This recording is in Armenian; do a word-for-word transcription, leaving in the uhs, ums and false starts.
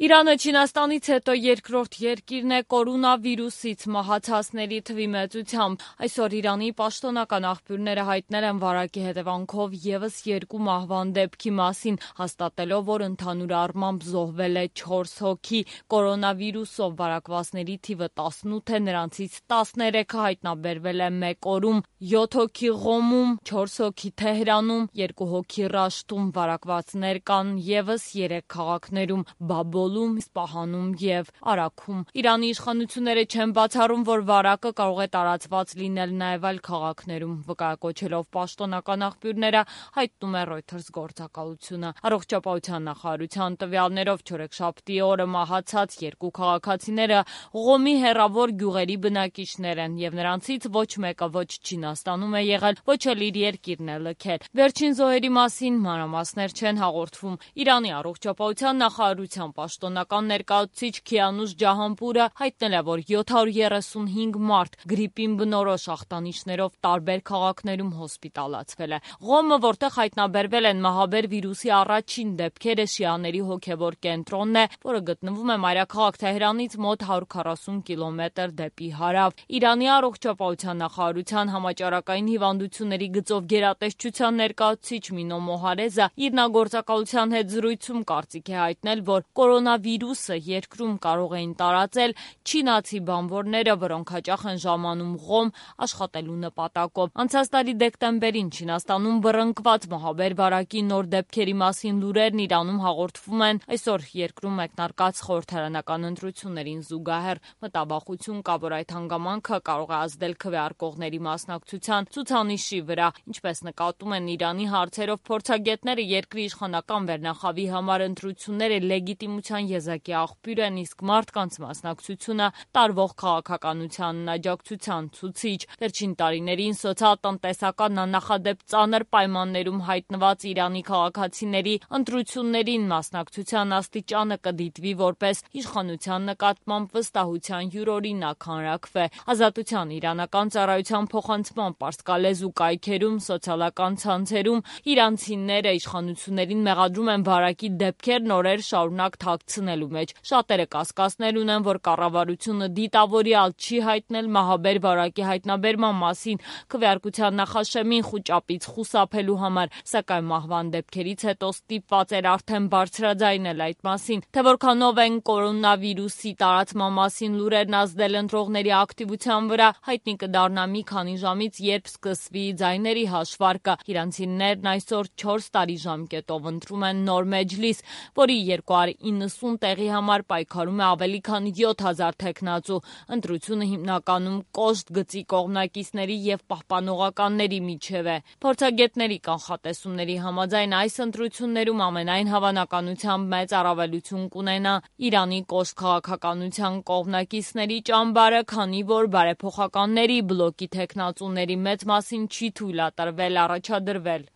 Իրանը Չինաստանից հետո երկրորդ երկիրն է կորոնավիրուսից մահացածների թվի մեծությամբ։ Այսօր Իրանի պաշտոնական աղբյուրները հայտնել են վարակի հետևանքով ևս երկու մահվան դեպքի մասին, հաստատելով, որ ընդհանուր առմամբ զոհվել է չորս հոգի։ Կորոնավիրուսով վարակվածների թիվը տասնութ է, նրանցից տասներեքը հայտնաբերվել է մեկ օրում, յոթ հոգի Ղոմում, չորս հոգի Թեհրանում, երկու հոգի Ռաշտում։ Վարակվածներ կան ևս երեք քաղաքներում՝ Բաբոլ, Իսպահանում և Արաքում։ Իրանի իշխանությունները չեն բացառում, որ վարակը կարող է տարածված լինել նաև այլ քաղաքներում, վկայակոչելով պաշտոնական աղբյուրները, հայտնում է Reuters գործակալությունը։ Առողջապահության նախարարության տվյալներով չորեքշաբթի օրը մահացած երկու քաղաքացիները Ղոմի հեռավոր գյուղերի բնակիչներ են, և նրանցից ոչ մեկը ոչ Չինաստանում է եղել, ոչ էլ իր երկիրն է լքել։ Վերջին զոհերի մասին մանրամասներ չեն հաղորդվում։ Իրանի առողջապահության նախարարության պաշտոնական ներկայացուցիչ Քիանուշ Ջահանպուրը հայտնել է, որ յոթ հարյուր երեսունհինգ մարդ գրիպին բնորոշ ախտանիշներով տարբեր քաղաքներում հոսպիտալացվել է։ Ղոմը, որտեղ հայտնաբերվել են մահաբեր վիրուսի առաջին դեպքերը, շիաների հոգևոր կենտրոնն է, որը գտնվում է մայրաքաղաք Թեհրանից մոտ հարյուր քառասուն կիլոմետր դեպի հարավ։ Իրանի առողջապահության նախարարության համաճարակային հիվանդությունների գծով գերատեսչության ներկայացուցիչ Մինո Մոհարեզը իր գործակալության հետ զրույցում կարծիք է հայտնել, որ կորոնավիրուսը երկրում կարող էին տարածել չինացի բանվորները, որոնք հաճախ են ժամանում Ղոմ աշխատելու նպատակով։ Անցած տարի դեկտեմբերին Չինաստանում բռնկված մահաբեր վարակի նոր դեպքերի մասին լուրերն Իրանում հաղորդվում են այսօր երկրում մեկնարկած խորհրդարանական ընտրություններին զուգահեռ։ Մտավախություն կա, որ այդ հանգամանքը կարող է ազդել քվեարկողների մասնակցության ցուցանիշի վրա։ Ինչպես նկատում են Իրանի հարցերով փորձագետները, երկրի իշխանական վերնախավի համար ընտրությունները լեգիտիմության եզակի աղբյուր են, իսկ մարդկանց մասնակցությունը տարվող քաղաքականությանն աջակցության ցուցիչ։ Վերջին տարիներին սոցիալ-տնտեսական աննախադեպ ծանր պայմաններում հայտնված Իրանի քաղաքացիների ընտրություններին մասնակցության աստիճանը կդիտվի որպես իշխանության նկատմամբ վստահության յուրօրինակ հանրաքվե։ Ազատության իրանական ծառայության փոխանցման պարսկալեզու կայքերում, սոցիալական ցանցերում իրանցիները իշխանություններին մեղադրում են վարակի դեպքերն օրեր շարունակ թաքցնելու մեջ։ Շատերը կասկածներ ունեն, որ կառավարությունը դիտավորյալ չի հայտնել մահաբեր վարակի հայտնաբերման մասին քվեարկության նախաշեմին խուճապից խուսափելու համար, սակայն մահվան դեպքերից հետո ստիպված էր արդեն բարձրաձայնել այդ մասին։ Թե որքանով են կորոնավիրուսի տարածման մասին լուրերն ազդել ընտրողների ակտիվության վրա, հայտնի կդառնա մի քանի ժամից, երբ սկսվի ձայների հաշվարկը։ Իրանցիներն այսօր չորս տարի ժամկետով ընտրում են նոր մեջլիս, որի երկու հարյուր իննսուն տեղի համար պայքարում է ավելի քան յոթ հազար թեկնածու։ Ընտրությունը հիմնականում կոշտ գծի կողմնակիցների և պահպանողականների միջև է։ Փորձագետների կանխատեսումների համաձայն այս ընտրություններում ամենայն հավանականությամբ մեծ առավելություն կունենա Իրանի կոշտ քաղաքականության կողմնակիցների ճամբարը, քանի որ բարեփոխականների բլոկի թեկնածուների մեծ մասին չի թույլատրվել առաջադրվել։